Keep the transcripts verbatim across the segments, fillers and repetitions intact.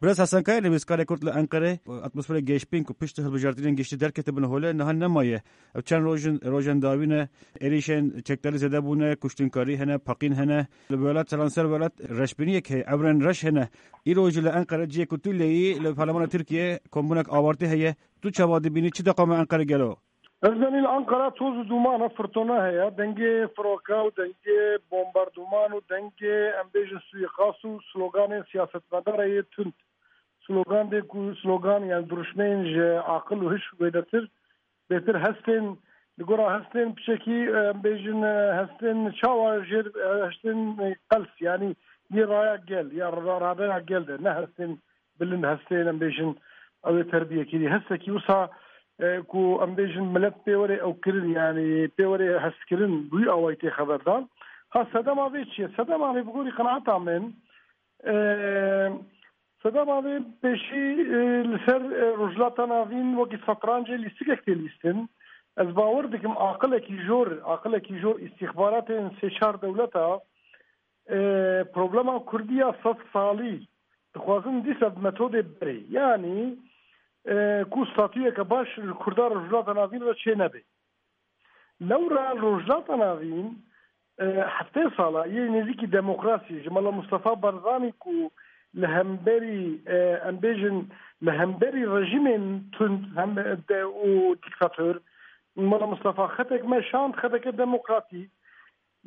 Birêz Hesen Kaya, nivîskarê Kurd li Enqerê, atmosferê geşbîn ku pişt hilbijartinên giştî derketibûn hole, niha nemaye. Ev çend roj in, rojên dawî ne, êrîşên çekdarî zêde bûne, kuştinkarî hene, paqîn hene. Li welat, seranser welat reşbîniyek heye, evrên reş hene. Îro jî li Enqere cihê ku tu lê yî, li Parlemana Tirkiye kombûnek awartî heye. Tu çawa dibînî, çi deqame Enqere gelo? Ez zanî li Ankara toz û duman e, firtona heye, dengê firoka û dengê bombarduman û dengê, em bêjin, suîqas û sloganên siyasetmedara yê tund. Slogan dê ku slogan, yani duruşmeyên ji aqil û hiş wêdetir, bêtir hestên, li gora hestên piçekî, em bêjin, hestên çawa jêr, hestên qels, yani yê raya gel, ya ra-, radeya gel de, ne hestên bilind, hestê, em bêjin, ew ê terbiyekirî. Hestekî wisa, e, ku, em bêjin, milet pê were ew kirin, yani pê were hestkirin, bi wî awayî tê xeberdan. Ha, sedema vê çi ye? Sedema vê, bi gorî qenaeta min, e, sedema vê pêşî, e, li ser, e, Rojhilata Navîn wekî setrancê lîstikek tê lîstin. Ez bawer dikim, aqilekî jor, aqilekî jor îstîxbaratên sê çar dewleta, e, problema Kurdiya sed salî dixwazin dîsa bi metodê berê. Yanî, e, ku statuyeke baş li Kurda Rojhilata Navîn re çê nebe. Lewra Rojhilata Navîn, e, heftê sala yê nêzîkî demokrasî ji Mela Mustafa Barzanî ku li hemberî, e, em bêjin, li hemberî rejîmên tund hem de û dîktator, Mela Mustafa xetek meşand, xeteke demokratî.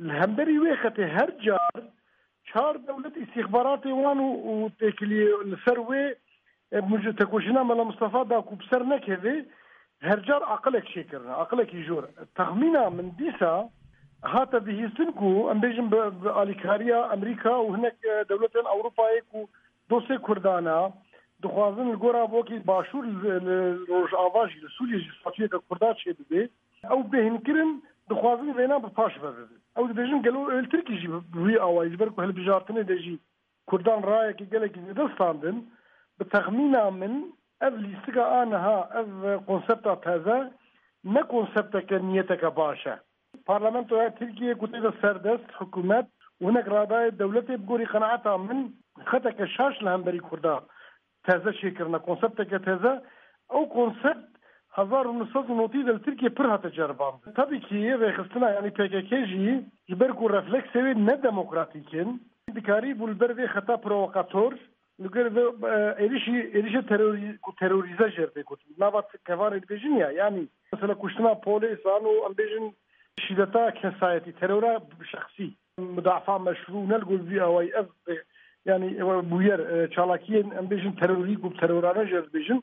Li hemberî wê xetê her car çar dewlet îstîxbaratê wan û, û têkiliyê li ser wê, e, muc-, tekoşîna Mela Mustafa da ku bi ser nekeve, her car aqilek çêkirine, aqilekî jor. Texmîna min dîsa hate bihîstin ku, em bêjin, bi, bi alîkariya Amerîka û hinek, e, dewletên Ewropayê ku dostê Kurdan e, dixwazin li gora wekî Başûr li, li Rojava jî, li Sûriyê jî statuyeke Kurda çêbibe. Ew bêhnkirin, dixwazin vêna bi paş ve bibin. Ew dibêjin, gelo êl Tirkî jî bi wî awayî, ji ber ku hilbijartinê de jî Kurdan rayekî gelekî zêde standin. Bi texmîna min, ev lîstika a niha, ev konsepta teze, ne konsepteke niyeteke baş e. Parlamentoya Tirkiyê ku tê de serdest, hikûmet û hinek radayê dewletê, bi gorî qenaeta min, xeteke şaş li hemberî Kurda teze çêkirine, konsepteke teze. Ew konsept hezar û neh sed û notî de li Tirkiyê pir hate ceribandin. Tabî kî rêxistina, yanî P K K jî ji ber ku refleksê wê ne demokratîk in, dikarîbû li ber vê xeta provokator, li gor vê, e, êrişî, êrişê terorî-, ku terorîze jê re tê gotin. Nava t-, kevanê dibêjin ya, yanî mesela kuştina polêsan û, em bêjin, şîdeta kesayetî, terora şexsî, mudafa meşrû, ne li gor vî awayî ev, e, yanî, e, bûyer, e, çalakiyên, em bêjin, terorî ku terorane jê re dibêjin,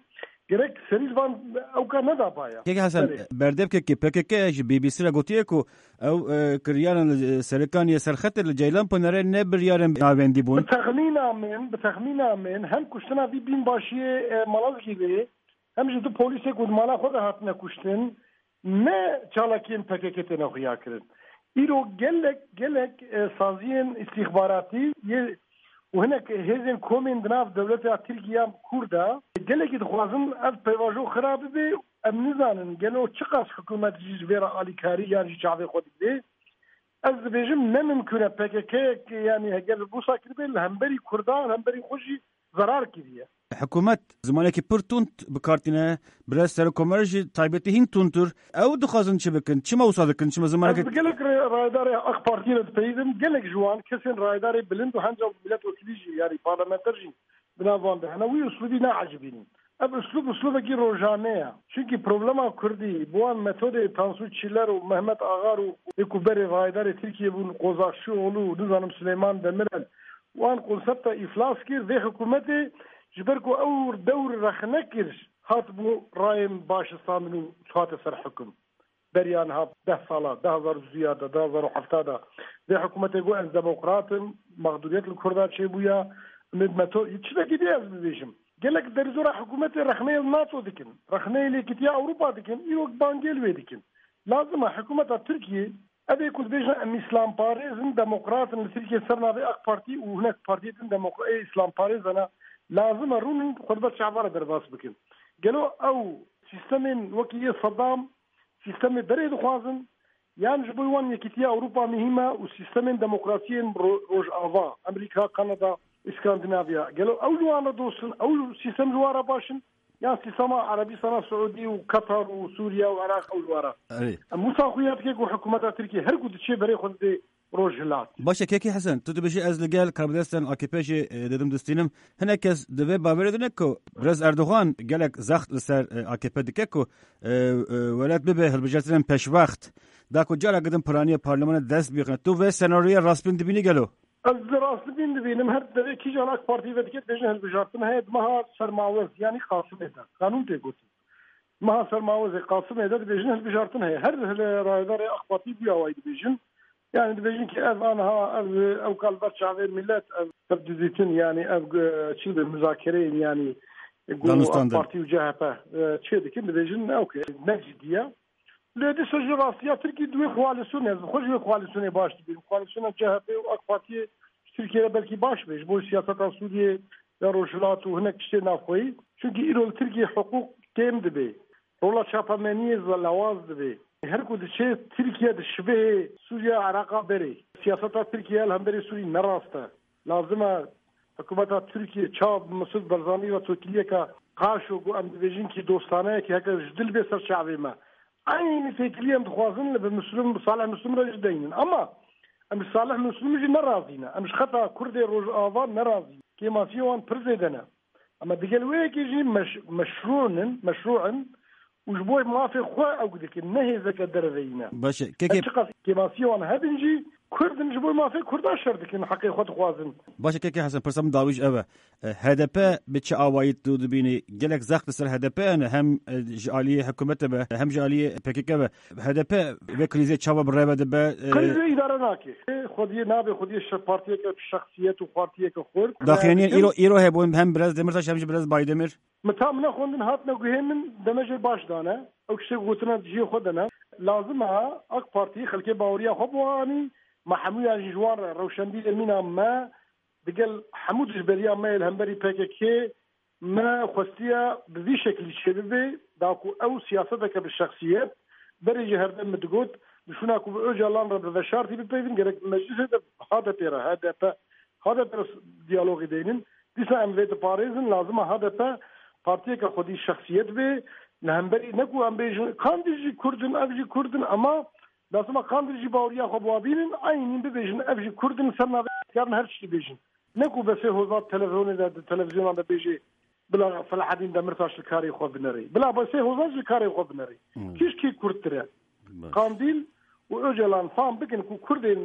gerek serî li van ewka neda baya. Kek Hesen, Belê. Berdevkekê P K K ji B B C re gotiye ku ew, e, kiryaran li Serêkaniyê Serxetê li Ceylanpınarê ne biryarên navendî bûn. Bi texmîna min, bi texmîna min hem kuştina vî bînbaşiyê, e, Malazgîrê, hem jî du polîsê ku di mala xwe de hatine kuştin, ne çalakiyên P K K têne xuya kirin. Îro gelek, gelek, e, saziyên îstîxbaratî yê û hinek hêzên komên di nav dewleta Tirkiye ya Kurd de gelekî dixwazin ev pêvajo xira bibe. Em nizanin gelo çiqas hikûmet jî ji vê re alîkarî yan jî çavê xwe didê. Ez dibêjim ne mimkûn e P K K, yanî heger wisa kiribê li hemberî Kurdan, li hemberî xwe jî zerar kiriye. Hikûmet zimanekî pir tund bi kar tîne, birêz Serokkomarê jî taybetî hîn tundtir. Ew dixwazin çi bikin? Çima wisa dikin? Çima zimanekî... Ez bi gelek re-, rayedarê AK Partiyê re dipeyivim. Gelek ji wan kesên rayedarê bilind û hence milletvekilî jî, yanî parlamenter jî di nav wan de hene. Wî uslûbî neecibînin. Ev uslûb uslûbekî rojane ye. Çunkî problema Kurdî bi wan metodê Tansu Çiller û Mehmet Ağar û ê ku berê rayedarê Tirkiyê bûn, Kozakçıoğlu û nizanim Süleyman Demirel, wan konsepta îflas kir, vê hikûmetê ji ber ku ew dewr rexne kir, hat bû rayên baş standin û hate ser hikum. Beriya niha deh sala, du hazar û duya de, du hazar û hefta de, vê hikûmetê got, ez demokrat im, mexdûriyet li Kurda çêbûya, min meto-, çi vekî dê ez bibêjim. Gelek derizora hikûmetê rexneyê li NATO dikin, rexneyê li Yekîtiya Ewropa dikin, îro bangê li wê dikin. Lazim e hikûmeta Tirkiyê, ev ê ku dibêjin em îslamparêz in, demokrat in, li Tirkiyê ser navê AK Partî û hinek partiyê din demokra-, ê îslamparêz hene, lazim e rûnin xwe li ber çava re derbas bikin. Gelo ew sîstemên wekî yê Sedam, sîstemê berê dixwazin, yan ji bo wan Yekîtiya Ewropa muhîm e û sîstemên demokrasiyên ro-, Rojava, Amerîka, Kanada û Îskandinavya. Gelo ew li wan re dost in, ew sîstem ji wan re baş in? Yan sîstema Erebistana Siûdî û Katar û Sûriye û Iraq ew li wan re? Erê. Em wisa xuya dike ku hikûmeta Tirkiyê her ku diçê berê xwe didê Rojhilat. Baş e, Kekî Hesen, tu dibêjî ez li gel karbidestên A K P jî, e, didim distînim. Hinek kes di vê bawerê de ne ku Birêz Erdogan gelek zext li ser, e, A K P dike ku, e, e, welat bibe hilbijartinên pêşwext. Da ku careke din piraniya parlemanê dest bixine. Tu vê senaryoya rastbîn dibînî gelo? Ez rastbîn dibînim, her devê kîjan AK Partî ve dike dibêjin hilbijartin heye, di meha sermawez, yanî Qasimê de. Qanûn tê gotin. Meha sermawezê Qasimê de dibêjin hilbijartin heye. Her hile rayedarê AK Partî bu awayî dibêjin. Yani dibêjin ki ev aniha, ev, ev kal ber çavê millet, ev, ev dizîtin, yani ev, e, çi dibe, muzakereyên, yani, e, ku Danûstan AK de. Partî û C H P, e, çê dikin, dibêjin, ew ke ne cidî ye. Lê dîsa ji rastiya Tirkî di wê koalîsyonê, ez bi xwe ji wê koalîsyonê baş dibînim. Koalîsyona C H P û AK Partiyê ji Tirkiyê re belkî baş be, ji bo siyaseta Sûriyê ya Rojhilat û hinek tiştê navxweyî. Çunkî îro li Tirkiyê hiqûq kêm dibe. Rola çapemeniyê zelewaz dibe. Her ku diçe Tirkiye di şibihê Sûriye Iraqa berê. Siyaseta Tirkiye li hemberî Sûrî ne rast e. Lazim e hikûmeta Tirkiye çav Mesûd Barzanî ve tokiliyeke qarşo ku em dibêjin ki dostaneyeke heke ji dil bê ser çavê me. Eynî têkilî em dixwazin li bi Muslim, bi Salih Muslim re jî deynin. Ama em ji Salih Muslim jî ne razî ne. Em ji xeta Kurdê Rojava ne razî ne. Kêmasiyê wan pir zêde ne. Ama digel wê yekê jî meş-, meşrû in, meşrû in û ji bo mafê xwe ew dikin, ne hêzeke derveyî ne. Baş e. Kekê Her çiqas kêmasiyê wan hebin jî, Kurd in, ji bo mafê Kurdan şer dikin, heqê xwe dixwazin. Baş e, Kekê Hesen, pirsa min dawî jî ev e. E, H D P bi çi awayî tu dibînî? Gelek zext li ser H D P hene, hem, e, ji aliyê hikûmetê be, hem ji aliyê P K K be. H D P vê krîzê çawa bi rê ve dibe? E, Krîzê îdare nake. E, xwediyê nabe, xwediyê şe-, partiyeke şexsiyet û partiyeke xurt. Daxuyaniyên îro, îro hebûn hem Birêz Demirtaş hem jî Birêz Baydemir. Min tam nexwendin, hatine guhê min, demê jê baş dane. Ew tiştê ku gotine di cihê xwe de ne. Lazim e AK Partî xelkê baweriya xwe biwanî, me hemûyan jî ji wan re rewşenbîrê mîna me, digel hemû dijberiya me yê li hemberî P K K, me xwestiye bi vî şeklî çêbibe, da ku ew siyaseteke bi şexsiyet, berê jî herdem min digot, di şûna ku bi Ocalan re bi veşartî bipeyvin, gerek bi meclisê de H D P re, H D P, H D P re diyalogê deynin. Dîsa em vê diparêzin, lazim e H D P partiyeke xwedî şexsiyet be, li hemberî ne ku em bêjin, Kandîl jî Kurd in, ev jî Kurd in, ama lazim e Kandîl jî baweriya xwe biwa bînin, eynî bibêjin, ev jî Kurd in, ser navê karin her tiştî bêjin. Ne ku Besê Hozat televizyonê de, di televizyonan de bêjê, bila Selahedîn Demirtaş li karê xwe binerê. Bila Besê Hozat ji karê xwe binerê. Hmm. Kî ji kî kurdtir e? Baş. Kandîl û Ocalan fam bikin ku Kurdên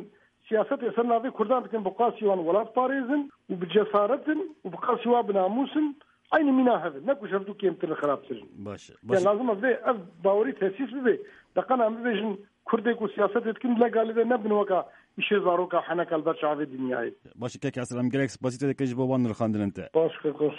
siyasetê ser navê Kurdan dikin, bi qasî wan welat parêzin û bi cesaret in û bi qasî wan bi namûs in, eynî mîna hev in. Ne ku ji hevdû kêmtir in, xirabtir in. Baş e. Yani lazim e vê ev bawerî tesîs bibe. Deqena em bibêjin, Kurdê ku siyasetê dikin, legalî de nebin weka îşê zaroka heneka li ber çavê dinyayê. Baş e, Kekê Hesen, em gelek spasî te dikin ji bo wan nirxandinên te. Baş, keko.